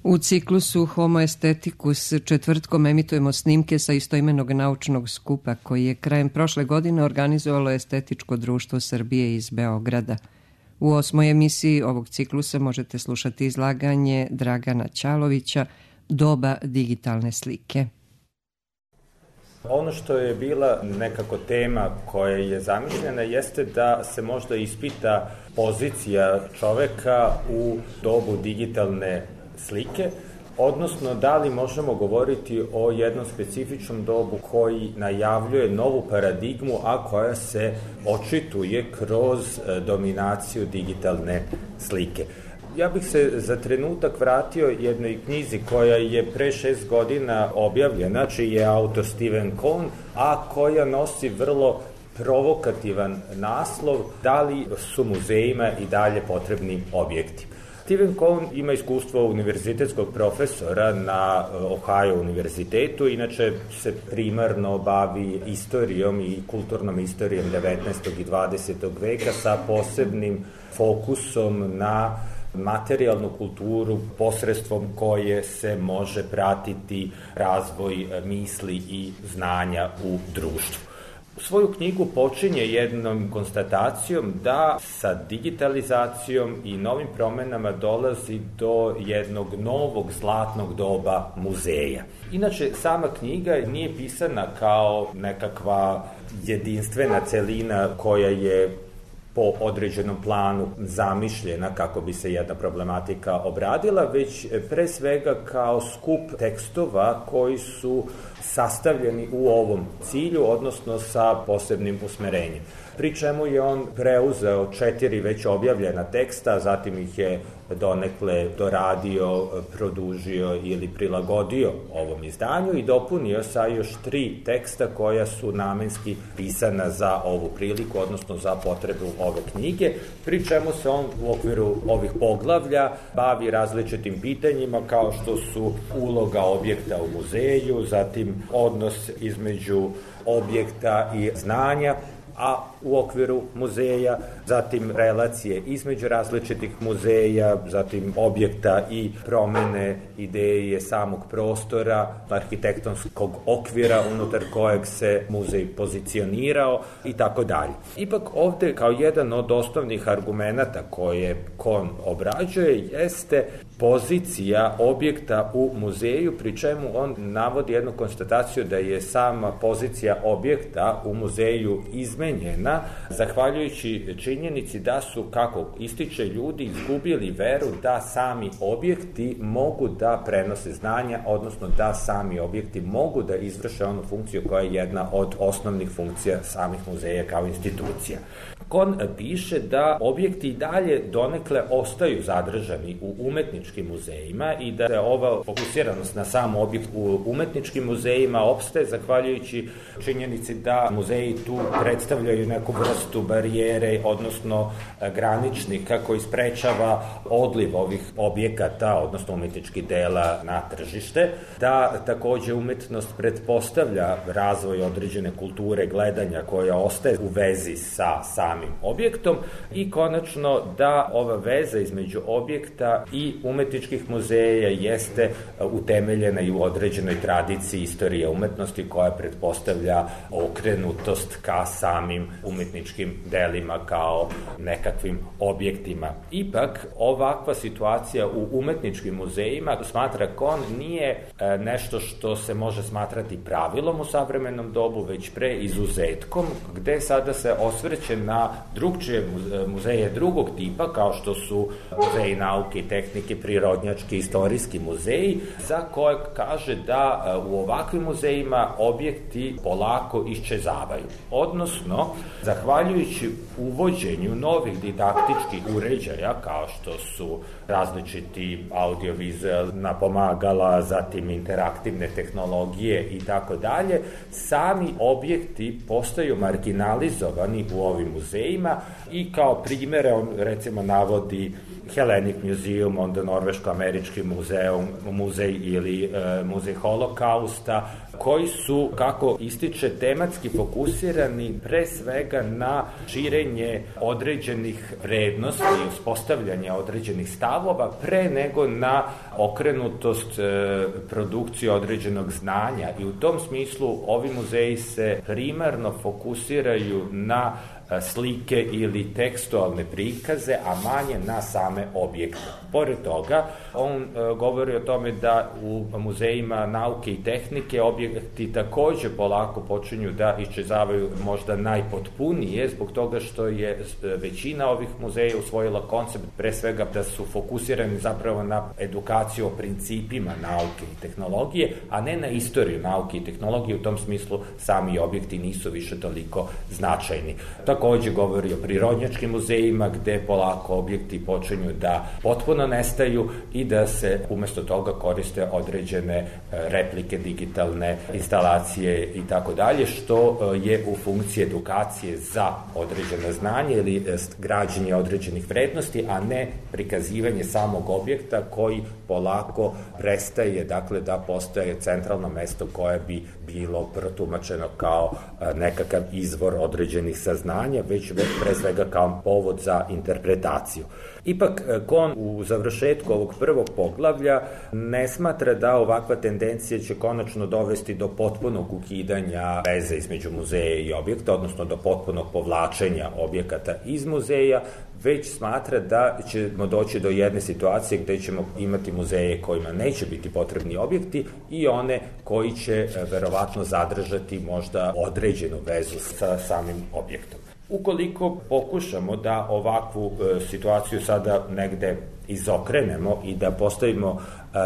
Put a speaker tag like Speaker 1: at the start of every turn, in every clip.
Speaker 1: U ciklusu Homo Aestheticus četvrtkom emitujemo snimke sa istoimenog naučnog skupa koji je krajem prošle godine organizovalo Estetičko društvo Srbije iz Beograda. U 8. emisiji ovog ciklusa možete slušati izlaganje Dragana Ćalovića Doba digitalne slike.
Speaker 2: Ono što je bila nekako tema koja je zamišljena jeste da se možda ispita pozicija čoveka u dobu digitalne slike, odnosno da li možemo govoriti o jednom specifičnom dobu koji najavljuje novu paradigmu, a koja se očituje kroz dominaciju digitalne slike. Ja bih se za trenutak vratio jednoj knjizi koja je pre 6 godina objavljena, čiji je autor Steven Cohen, a koja nosi vrlo provokativan naslov da li su muzejima i dalje potrebni objekti. Steven Cohen ima iskustvo univerzitetskog profesora na Ohio univerzitetu, inače se primarno bavi istorijom i kulturnom istorijom 19. i 20. veka sa posebnim fokusom na materijalnu kulturu posredstvom koje se može pratiti razvoj misli i znanja u društvu. Svoju knjigu počinje jednom konstatacijom da sa digitalizacijom i novim promenama dolazi do jednog novog zlatnog doba muzeja. Inače, sama knjiga nije pisana kao nekakva jedinstvena celina koja je po određenom planu zamišljena kako bi se jedna problematika obradila, već pre svega kao skup tekstova koji su sastavljeni u ovom cilju, odnosno sa posebnim usmerenjem. Pri čemu je on preuzeo 4 već objavljena teksta, zatim ih je donekle doradio, produžio ili prilagodio ovom izdanju i dopunio sa još 3 teksta koja su namenski pisana za ovu priliku, odnosno za potrebu ove knjige, pri čemu se on u okviru ovih poglavlja bavi različitim pitanjima kao što su uloga objekta u muzeju, zatim odnos između objekta i znanja, a u okviru muzeja, zatim relacije između različitih muzeja, zatim objekta i promene ideje samog prostora, arhitektonskog okvira unutar kojeg se muzej pozicionirao i tako dalje. Ipak ovde kao jedan od osnovnih argumenata koje Cohen obrađuje jeste pozicija objekta u muzeju, pri čemu on navodi jednu konstataciju da je sama pozicija objekta u muzeju izmenjena zahvaljujući činjenici da su, kako ističe, ljudi izgubili veru da sami objekti mogu da prenose znanja, odnosno da sami objekti mogu da izvrše onu funkciju koja je jedna od osnovnih funkcija samih muzeja kao institucija. Cohen piše da objekti i dalje donekle ostaju zadržani u umetničkim muzejima i da se ova fokusiranost na sam objekt u umetničkim muzejima opstaje zahvaljujući činjenici da muzeji tu predstavljaju neku vrstu barijere, odnosno graničnika koji sprečava odliv ovih objekata, odnosno umetničkih dela na tržište, da takođe umetnost pretpostavlja razvoj određene kulture gledanja koja ostaje u vezi sa samim objektom i konačno da ova veza između objekta i umetničkih muzeja jeste utemeljena i u određenoj tradiciji istorije umetnosti koja pretpostavlja okrenutost ka samim umetničkim delima kao nekakvim objektima. Ipak, ovakva situacija u umetničkim muzejima, smatra Cohen, nije nešto što se može smatrati pravilom u savremenom dobu, već pre izuzetkom, gde sada se osvrće na drugčije muzeje drugog tipa, kao što su muzeji nauke i tehnike, prirodnjački, istorijski muzeji, za koje kaže da u ovakvim muzejima objekti polako iščezavaju. Odnosno, zahvaljujući uvođenju novih didaktičkih uređaja, kao što su različiti audiovizualna pomagala, zatim interaktivne tehnologije i tako dalje, sami objekti postaju marginalizovani u ovim muzejima i kao primere on recimo navodi Hellenic Museum, onda Norveško-američki muzej ili muzej holokausta, koji su, kako ističe, tematski fokusirani pre svega na širenje određenih vrednosti i uspostavljanje određenih stavova pre nego na okrenutost produkcije određenog znanja. I u tom smislu ovi muzeji se primarno fokusiraju na slike ili tekstualne prikaze, a manje na same objekte. Pored toga, on govori o tome da u muzejima nauke i tehnike objekti takođe polako počinju da iščezavaju možda najpotpunije, zbog toga što je većina ovih muzeja usvojila koncept pre svega da su fokusirani zapravo na edukaciju o principima nauke i tehnologije, a ne na istoriju nauke i tehnologije. U tom smislu sami objekti nisu više toliko značajni. Takođe govori o prirodnjačkim muzejima gde polako objekti počinju da potpuno nestaju i da se umesto toga koriste određene replike, digitalne instalacije i tako dalje, što je u funkciji edukacije za određeno znanje ili građenje određenih vrednosti, a ne prikazivanje samog objekta koji polako prestaje, dakle, da postaje centralno mesto koje bi bilo protumačeno kao nekakav izvor određenih saznanja, već pre svega kao povod za interpretaciju. Ipak, Kohn u završetku ovog prvog poglavlja ne smatra da ovakva tendencija će konačno dovesti do potpunog ukidanja veze između muzeja i objekta, odnosno do potpunog povlačenja objekata iz muzeja, već smatra da ćemo doći do jedne situacije gde ćemo imati muzeje kojima neće biti potrebni objekti i one koji će verovatno zadržati možda određenu vezu sa samim objektom. Ukoliko pokušamo da ovakvu situaciju sada negde izokrenemo i da postavimo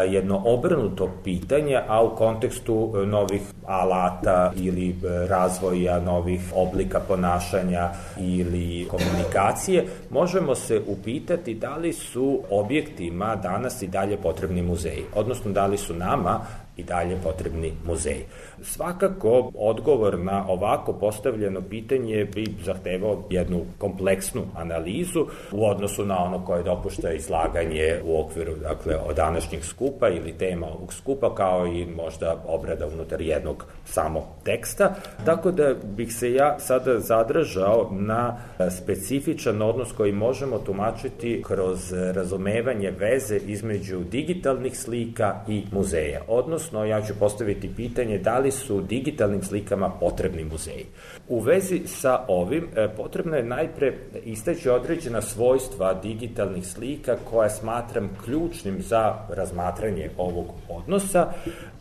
Speaker 2: jedno obrnuto pitanje, a u kontekstu novih alata ili razvoja novih oblika ponašanja ili komunikacije, možemo se upitati da li su objektima danas i dalje potrebni muzeji, odnosno da li su nama i dalje potrebni muzeji. Svakako, odgovor na ovako postavljeno pitanje bi zahtevao jednu kompleksnu analizu u odnosu na ono koje dopušta izlaganje u okviru, dakle, od današnjeg skupa ili tema ovog skupa, kao i možda obrada unutar jednog samo teksta. Tako da bih se ja sada zadržao na specifičan odnos koji možemo tumačiti kroz razumevanje veze između digitalnih slika i muzeja. Odnosno, ja ću postaviti pitanje da li su digitalnim slikama potrebni muzeji. U vezi sa ovim potrebno je najpre istaći određena svojstva digitalnih slika koja smatram ključnim za razmatranje ovog odnosa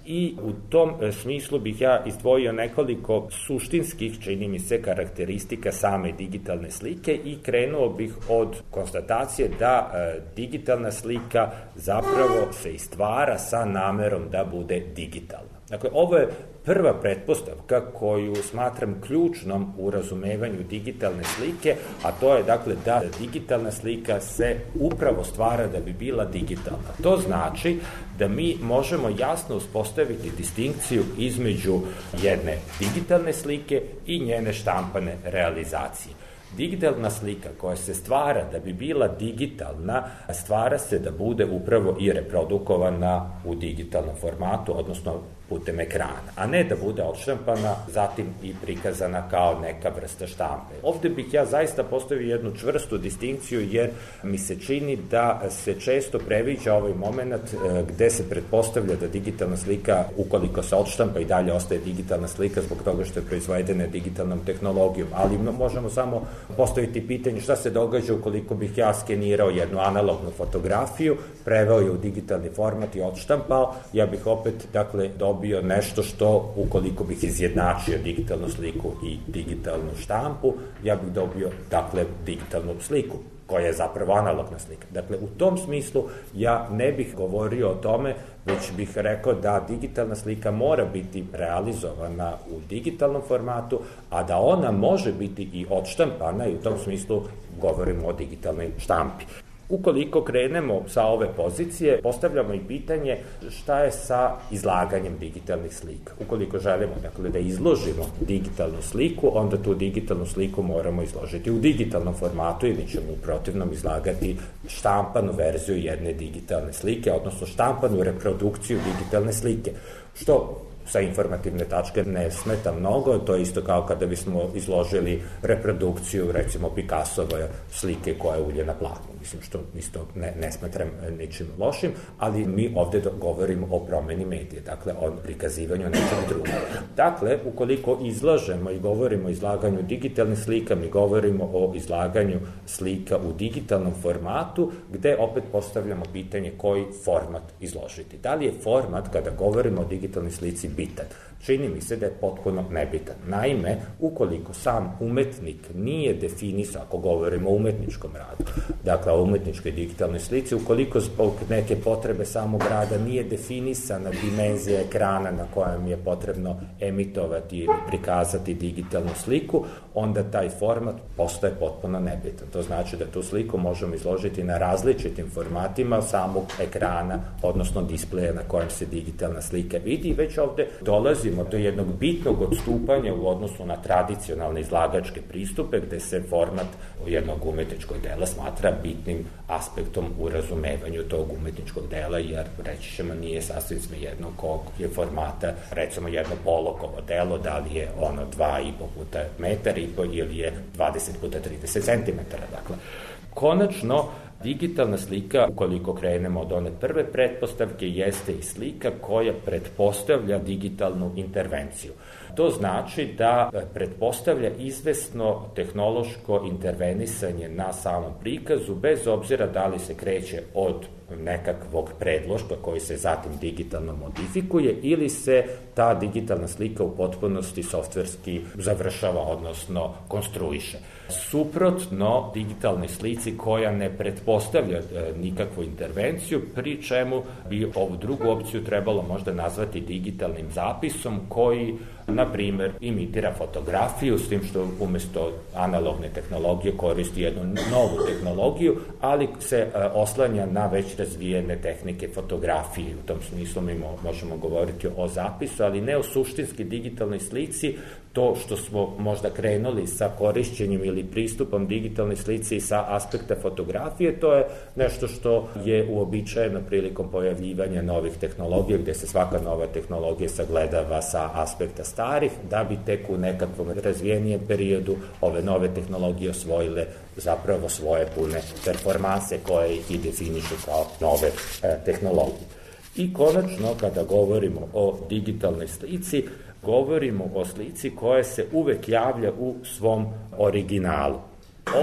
Speaker 2: i u tom smislu bih ja izdvojio nekoliko suštinskih, čini mi se, karakteristika same digitalne slike i krenuo bih od konstatacije da digitalna slika zapravo se i stvara sa namerom da bude digitalna. Dakle, ovo je prva pretpostavka koju smatram ključnom u razumevanju digitalne slike, a to je, dakle, da digitalna slika se upravo stvara da bi bila digitalna. To znači da mi možemo jasno uspostaviti distinkciju između jedne digitalne slike i njene štampane realizacije. Digitalna slika koja se stvara da bi bila digitalna, stvara se da bude upravo i reprodukovana u digitalnom formatu, odnosno putem ekrana, a ne da bude odštampana, zatim i prikazana kao neka vrsta štampe. Ovde bih ja zaista postavio jednu čvrstu distinkciju, jer mi se čini da se često previđa ovaj moment gde se pretpostavlja da digitalna slika, ukoliko se odštampa, i dalje ostaje digitalna slika zbog toga što je proizvedena digitalnom tehnologijom, ali možemo samo postaviti pitanje šta se događa ukoliko bih ja skenirao jednu analognu fotografiju, preveo je u digitalni format i odštampao, ja bih opet, dakle, dobio nešto što, ukoliko bih izjednačio digitalnu sliku i digitalnu štampu, ja bih dobio, dakle, digitalnu sliku koja je zapravo analogna slika. Dakle, u tom smislu ja ne bih govorio o tome, već bih rekao da digitalna slika mora biti realizovana u digitalnom formatu, a da ona može biti i odštampana, i u tom smislu govorimo o digitalnoj štampi. Ukoliko krenemo sa ove pozicije, postavljamo i pitanje šta je sa izlaganjem digitalnih slika. Ukoliko želimo da izložimo digitalnu sliku, onda tu digitalnu sliku moramo izložiti u digitalnom formatu ili ćemo u protivnom izlagati štampanu verziju jedne digitalne slike, odnosno štampanu reprodukciju digitalne slike, što sa informativne tačke ne smeta mnogo, to je isto kao kada bismo izložili reprodukciju, recimo Picassove slike koja je ulje na platnu, mislim što isto ne smatram ničim lošim, ali mi ovde govorimo o promeni medije, dakle o prikazivanju nečeg drugog. Dakle, ukoliko izlažemo i govorimo o izlaganju digitalnih slika, mi govorimo o izlaganju slika u digitalnom formatu, gde opet postavljamo pitanje koji format izložiti. Da li je format, kada govorimo o digitalnoj slici, bitan? Čini mi se da je potpuno nebitan. Naime, ukoliko sam umetnik nije definisao, ako govorimo o umetničkom radu, dakle o umetničkoj digitalnoj slici, ukoliko zbog neke potrebe samog rada nije definisana dimenzija ekrana na kojem je potrebno emitovati ili prikazati digitalnu sliku, onda taj format postaje potpuno nebitan. To znači da tu sliku možemo izložiti na različitim formatima samog ekrana, odnosno displeja na kojem se digitalna slika vidi. Već ovde dolazimo do jednog bitnog odstupanja u odnosu na tradicionalne izlagačke pristupe, gde se format jednog umetničkog dela smatra bitnim aspektom u razumevanju tog umetničkog dela, jer reći ćemo nije sasvim svejedno kog je formata, recimo jedno polokovo delo, da li je ono 2,5 puta metar i po ili je 20 puta 30 cm. Dakle, konačno, digitalna slika, ukoliko krenemo od one prve pretpostavke, jeste i slika koja pretpostavlja digitalnu intervenciju. To znači da pretpostavlja izvesno tehnološko intervenisanje na samom prikazu, bez obzira da li se kreće od nekakvog predložka koji se zatim digitalno modifikuje ili se ta digitalna slika u potpunosti softverski završava, odnosno konstruiše. Suprotno digitalnoj slici koja ne pretpostavlja nikakvu intervenciju, pri čemu bi ovu drugu opciju trebalo možda nazvati digitalnim zapisom koji, na primer, imitira fotografiju, s tim što umesto analogne tehnologije koristi jednu novu tehnologiju, ali se oslanja na već razvijene tehnike fotografije. U tom smislu mi možemo govoriti o zapisu, ali ne o suštinski digitalnoj slici. To što smo možda krenuli sa korišćenjem ili pristupom digitalnoj slici sa aspekta fotografije, to je nešto što je uobičajeno prilikom pojavljivanja novih tehnologija, gde se svaka nova tehnologija sagledava sa aspekta starih, da bi tek u nekakvom razvijenijem periodu ove nove tehnologije osvojile zapravo svoje pune performanse koje ih i definišu kao nove tehnologije. I konačno, kada govorimo o digitalnoj slici, govorimo o slici koja se uvek javlja u svom originalu.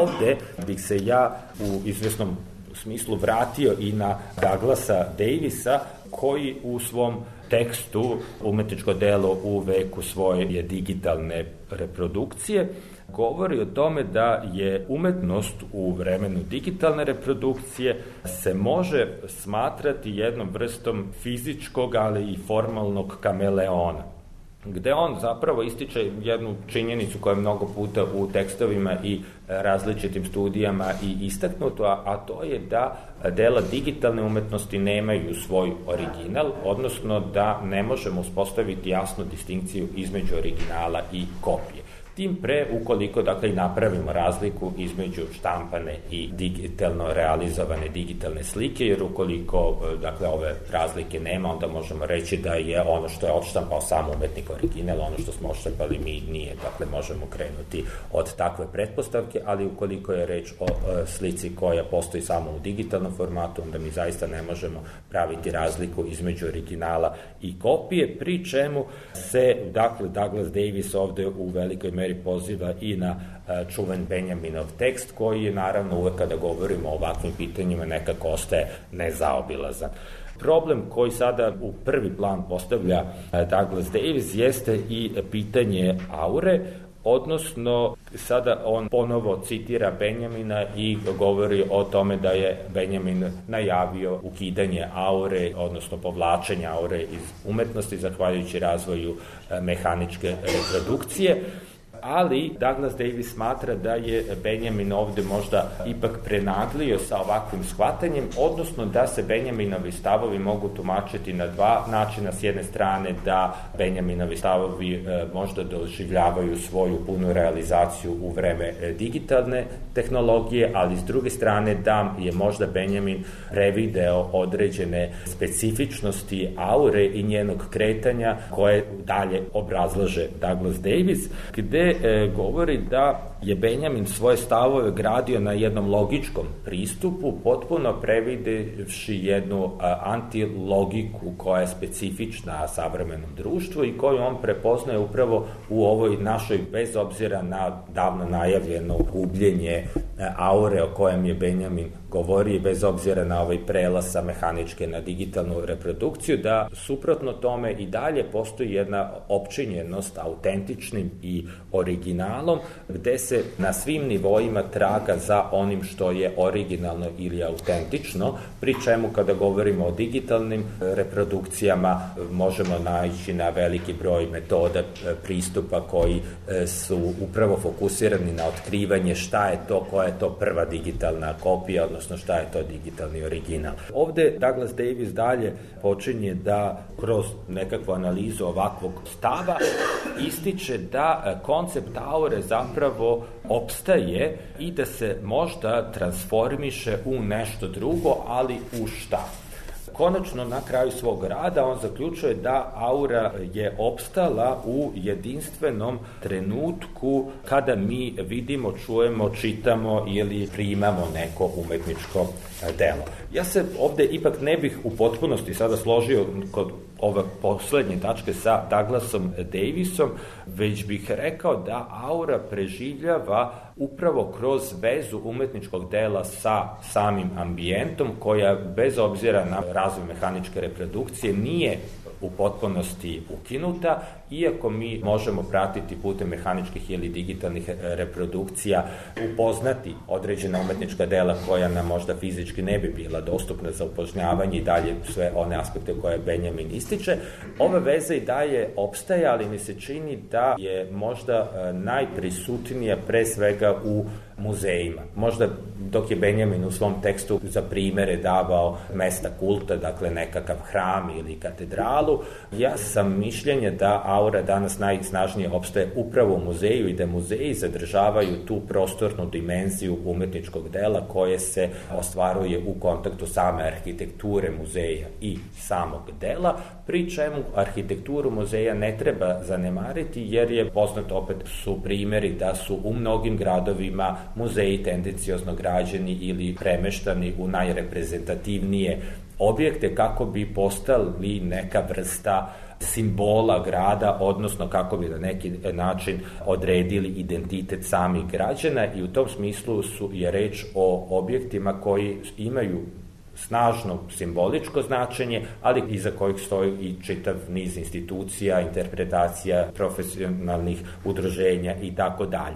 Speaker 2: Ovde bih se ja u izvesnom smislu vratio i na Douglasa Davisa, koji u svom tekstu Umetničko delo u veku svoje digitalne reprodukcije govori o tome da je umetnost u vremenu digitalne reprodukcije se može smatrati jednom vrstom fizičkog, ali i formalnog kameleona, gde on zapravo ističe jednu činjenicu koja je mnogo puta u tekstovima i različitim studijama i istaknuto, a to je da dela digitalne umetnosti nemaju svoj original, odnosno da ne možemo uspostaviti jasnu distinkciju između originala i kopije. Tim pre, ukoliko i napravimo razliku između štampane i digitalno realizovane digitalne slike, jer ukoliko ove razlike nema, onda možemo reći da je ono što je odštampao sam umetnik original, ono što smo odštampali mi nije. Dakle, možemo krenuti od takve pretpostavke, ali ukoliko je reč o slici koja postoji samo u digitalnom formatu, onda mi zaista ne možemo praviti razliku između originala i kopije, pri čemu se, Douglas Davis ovde u velikoj meri poziva i na čuven Benjaminov tekst, koji je naravno uvek kada govorimo o ovakvim pitanjima nekako ostaje nezaobilazan. Problem koji sada u prvi plan postavlja Douglas Davis jeste i pitanje aure, odnosno sada on ponovo citira Benjamina i govori o tome da je Benjamin najavio ukidanje aure, odnosno povlačenje aure iz umetnosti zahvaljujući razvoju mehaničke reprodukcije. ali Douglas Davis smatra da je Benjamin ovde možda ipak prenaglio sa ovakvim shvatanjem, odnosno da se Benjaminovi stavovi mogu tumačiti na dva načina. S jedne strane da Benjaminovi stavovi možda doživljavaju svoju punu realizaciju u vreme digitalne tehnologije, ali s druge strane da je možda Benjamin prevideo određene specifičnosti aure i njenog kretanja koje dalje obrazlaže Douglas Davis, gde govori da je Benjamin svoje stavove gradio na jednom logičkom pristupu, potpuno previdevši jednu antilogiku koja je specifična savremenom društvu i koju on prepoznaje upravo u ovoj našoj, bez obzira na davno najavljeno gubljenje aure o kojem je Benjamin govori, bez obzira na ovaj prelaz sa mehaničke na digitalnu reprodukciju, da suprotno tome i dalje postoji jedna opčinjenost autentičnim i originalom, gde se na svim nivoima traga za onim što je originalno ili autentično, pri čemu kada govorimo o digitalnim reprodukcijama možemo naići na veliki broj metoda pristupa koji su upravo fokusirani na otkrivanje šta je to, koja je to prva digitalna kopija, odnosno šta je to digitalni original. Ovde Douglas Davis dalje počinje da kroz nekakvu analizu ovakvog stava ističe da koncept aure zapravo opstaje i da se možda transformiše u nešto drugo, ali u šta? Konačno, na kraju svog rada, on zaključuje da aura je opstala u jedinstvenom trenutku kada mi vidimo, čujemo, čitamo ili primamo neko umetničko delo. Ja se ovde ipak ne bih u potpunosti sada složio kod ove poslednje tačke sa Douglasom Davisom, već bih rekao da aura preživljava upravo kroz vezu umetničkog dela sa samim ambijentom, koja bez obzira na razvoj mehaničke reprodukcije nije u potpunosti ukinuta, iako mi možemo pratiti putem mehaničkih ili digitalnih reprodukcija, upoznati određena umetnička dela koja nam možda fizički ne bi bila dostupna za upoznavanje i dalje sve one aspekte koje Benjamin ističe. Ova veza i dalje opstaje, ali mi se čini da je možda najprisutnija pre svega u muzejima. Možda dok je Benjamin u svom tekstu za primere davao mesta kulta, dakle nekakav hram ili katedralu, ja sam mišljenja da aura danas najsnažnije opstaje upravo u muzeju i da muzeji zadržavaju tu prostornu dimenziju umetničkog dela koje se ostvaruje u kontaktu same arhitekture muzeja i samog dela, pri čemu arhitekturu muzeja ne treba zanemariti, jer je poznato, opet su primeri da su u mnogim gradovima muzeji tendenciozno građeni ili premeštani u najreprezentativnije objekte kako bi postali neka vrsta simbola grada, odnosno kako bi na neki način odredili identitet samih građana, i u tom smislu je reč o objektima koji imaju snažno simboličko značenje, ali iza kojih stoji i čitav niz institucija, interpretacija profesionalnih udruženja i tako dalje.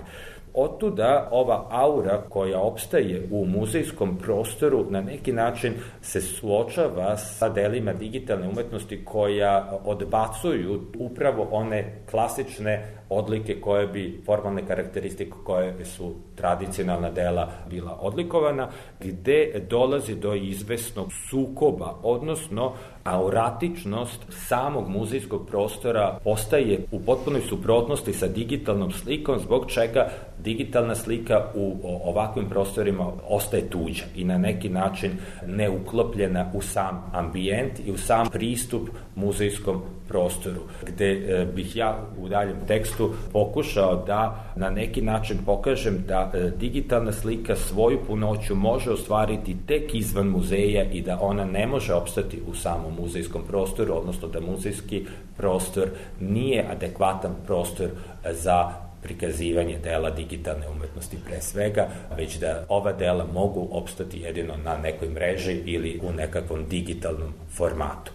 Speaker 2: Otuda ova aura koja opstaje u muzejskom prostoru na neki način se suočava sa delima digitalne umetnosti koja odbacuju upravo one klasične odlike koje bi, formalne karakteristike koje su tradicionalna dela bila odlikovana, gde dolazi do izvesnog sukoba, odnosno auratičnost samog muzejskog prostora postaje u potpunoj suprotnosti sa digitalnom slikom, zbog čega digitalna slika u ovakvim prostorima ostaje tuđa i na neki način neuklopljena u sam ambijent i u sam pristup muzejskom prostoru, gde bih ja u daljem tekstu pokušao da na neki način pokažem da digitalna slika svoju punoću može ostvariti tek izvan muzeja i da ona ne može opstati u samom muzejskom prostoru, odnosno da muzejski prostor nije adekvatan prostor za prikazivanje dela digitalne umetnosti pre svega, već da ova dela mogu opstati jedino na nekoj mreži ili u nekakvom digitalnom formatu.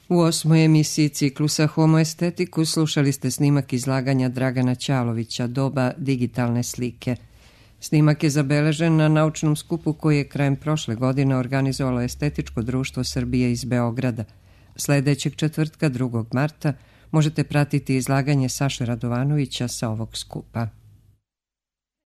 Speaker 1: U 8. emisiji ciklusa Homo Aestheticus slušali ste snimak izlaganja Dragana Ćalovića, Doba digitalne slike. Snimak je zabeležen na naučnom skupu koji je krajem prošle godine organizovalo Estetičko društvo Srbije iz Beograda. Sledećeg četvrtka, 2. marta, možete pratiti izlaganje Saše Radovanovića sa ovog skupa.